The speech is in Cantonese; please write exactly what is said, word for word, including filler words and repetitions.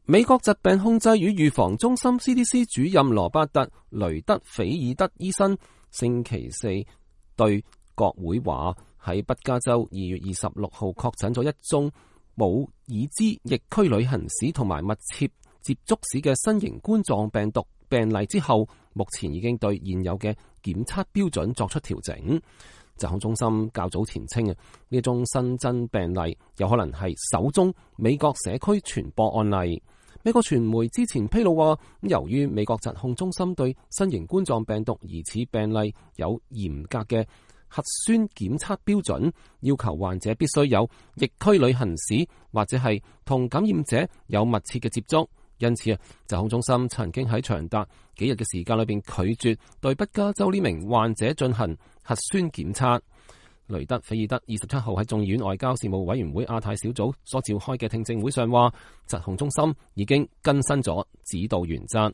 美國疾病控制與預防中心 C D C 主任羅伯特·雷德菲爾德醫生星期四對國會話，喺北加州二月二十六號確診咗一宗冇已知疫區旅行史同埋密切接觸史嘅新型冠狀病毒病例之後，目前已經對現有嘅檢測標準作出調整。疾控中心較早前稱啊，呢宗新增病例有可能係首宗美國社區傳播案例。美國傳媒之前披露話，由於美國疾控中心對新型冠狀病毒疑似病例有嚴格嘅核酸檢測標準，要求患者必須有疫區旅行史或者係同感染者有密切嘅接觸。因此啊，疾控中心曾經喺長達幾日嘅時間裏邊拒絕對北加州呢名患者進行核酸檢測。雷德菲爾德二十七號喺眾議院外交事務委員會亞太小組所召開嘅聽證會上話，疾控中心已經更新咗指導原則。